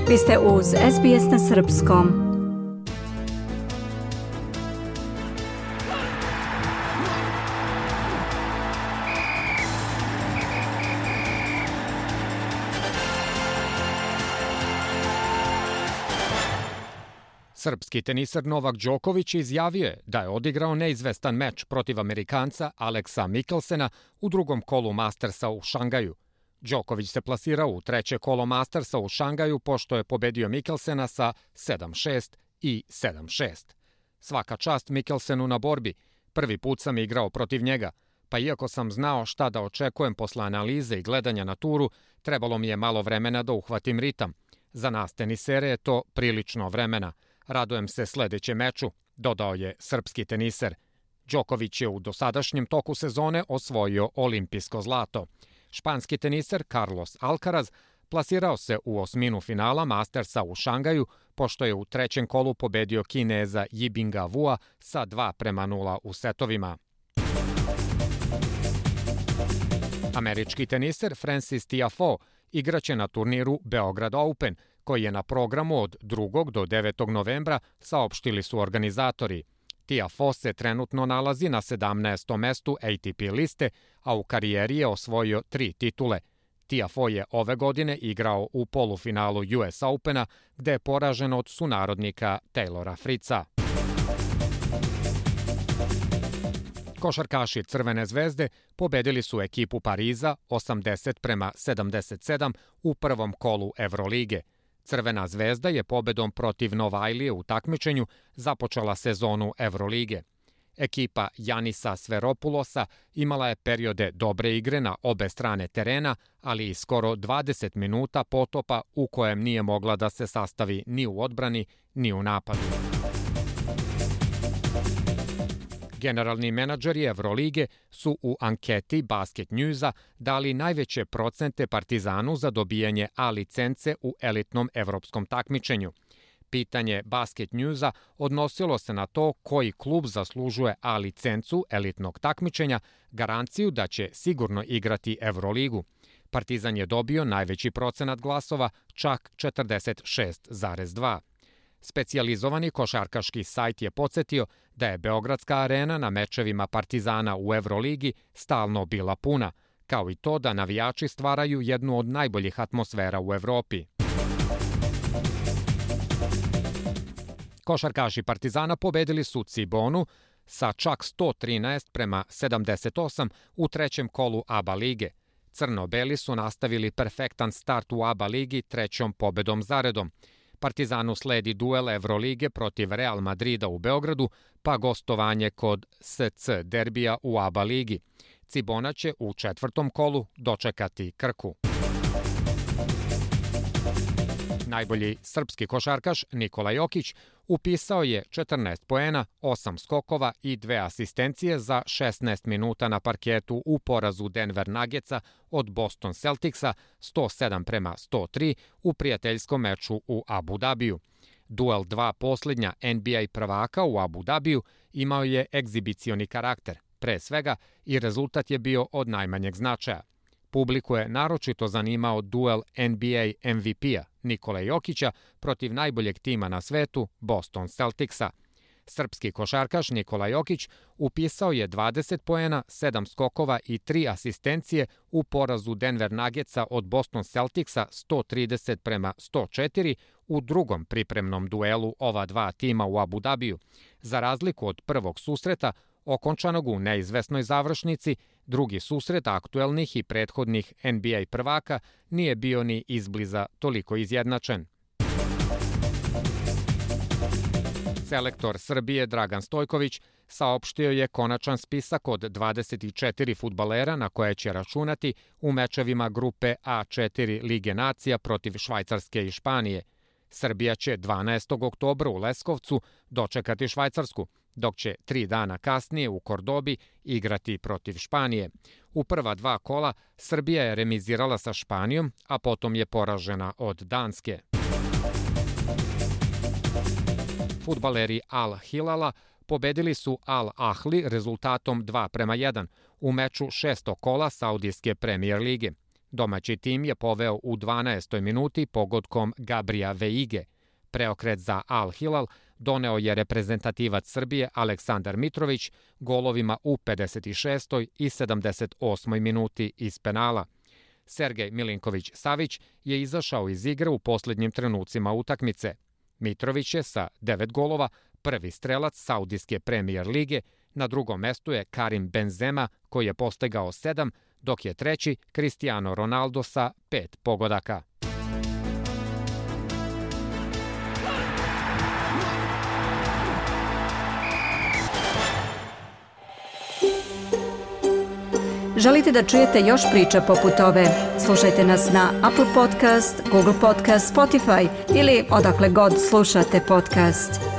Vi ste uz SBS na srpskom. Srpski teniser Novak Đoković izjavio je da je odigrao neizvestan meč protiv Amerikanca Aleksa Mikkelsena u drugom kolu Mastersa u Šangaju. Đoković se plasirao u treće kolo Mastersa u Šangaju pošto je pobedio Mikkelsena sa 7-6 i 7-6. Svaka čast Mikkelsenu na borbi. Prvi put sam igrao protiv njega, pa iako sam znao šta da očekujem posle analize i gledanja na turu, trebalo mi je malo vremena da uhvatim ritam. Za nas tenisere je to prilično vremena. Radujem se sledećem meču, dodao je srpski teniser. Đoković je u dosadašnjem toku sezone osvojio olimpijsko zlato. Španski teniser Carlos Alcaraz plasirao se u osminu finala Mastersa u Šangaju, pošto je u trećem kolu pobedio Kineza Yibinga Wua sa 2-0 u setovima. Američki teniser Frances Tiafoe igraće na turniru Beograd Open, koji je na programu od 2. do 9. novembra, saopštili su organizatori. Tiafoe se trenutno nalazi na 17. mestu ATP liste, a u karijeri je osvojio 3 titule. Tiafoe je ove godine igrao u polufinalu US Opena, gde je poražen od sunarodnika Taylora Fritza. Košarkaši Crvene zvezde pobedili su ekipu Pariza 80-77 u prvom kolu Evrolige. Crvena zvezda je pobedom protiv Novajlije u takmičenju započela sezonu Evrolige. Ekipa Janisa Sveropulosa imala je periode dobre igre na obe strane terena, ali i skoro 20 minuta potopa u kojem nije mogla da se sastavi ni u odbrani, ni u napadu. Generalni menadžeri Evrolige su u anketi Basket Newsa dali najveće procente Partizanu za dobijanje A licence u elitnom evropskom takmičenju. Pitanje Basket Newsa odnosilo se na to koji klub zaslužuje A licencu elitnog takmičenja, garanciju da će sigurno igrati Evroligu. Partizan je dobio najveći procenat glasova, čak 46,2%. Specijalizovani košarkaški sajt je podsjetio da je Beogradska arena na mečevima Partizana u Evroligi stalno bila puna, kao i to da navijači stvaraju jednu od najboljih atmosfera u Evropi. Košarkaši Partizana pobedili su Cibonu sa čak 113-78 u trećem kolu ABA lige. Crno-beli su nastavili perfektan start u ABA ligi trećom pobedom zaredom. Partizanu sledi duel Evrolige protiv Real Madrida u Beogradu, pa gostovanje kod SC derbija u ABA ligi. Cibona će u četvrtom kolu dočekati Krku. Najbolji srpski košarkaš Nikola Jokić upisao je 14 poena, 8 skokova i 2 asistencije za 16 minuta na parketu u porazu Denver Nuggetsa od Boston Celticsa 107-103 u prijateljskom meču u Abu Dabiju. Duel dva posljednja NBA prvaka u Abu Dabiju imao je egzibicioni karakter, pre svega i rezultat je bio od najmanjeg značaja. Publiku je naročito zanimao duel NBA MVP-a Nikola Jokića protiv najboljeg tima na svetu, Boston Celticsa. Srpski košarkaš Nikola Jokić upisao je 20 poena, 7 skokova i 3 asistencije u porazu Denver Nuggetsa od Boston Celticsa 130-104 u drugom pripremnom duelu ova dva tima u Abu Dabiju. Za razliku od prvog susreta, okončanog u neizvesnoj završnici, drugi susret aktuelnih i prethodnih NBA prvaka nije bio ni izbliza toliko izjednačen. Selektor Srbije Dragan Stojković saopštio je konačan spisak od 24 fudbalera na koje će računati u mečevima grupe A4 Lige nacija protiv Švajcarske i Španije. Srbija će 12. oktobra u Leskovcu dočekati Švajcarsku, dok će 3 dana kasnije u Kordobi igrati protiv Španije. U prva dva kola Srbija je remizirala sa Španijom, a potom je poražena od Danske. Fudbaleri Al Hilala pobedili su Al Ahli rezultatom 2-1 u meču 6. kola Saudijske premijer lige. Domaći tim je poveo u 12. minuti pogodkom Gabrija Veige. Preokret za Al Hilal doneo je reprezentativac Srbije Aleksandar Mitrović golovima u 56. i 78. minuti iz penala. Sergej Milinković-Savić je izašao iz igre u posljednjim trenucima utakmice. Mitrović je sa 9 golova prvi strelac Saudijske premijer lige, na drugom mestu je Karim Benzema koji je postigao 7, dok je treći Cristiano Ronaldo sa 5 pogodaka. Želite da čujete još priča poput ove? Slušajte nas na Apple Podcast, Google Podcast, Spotify ili odakle god slušate podcast.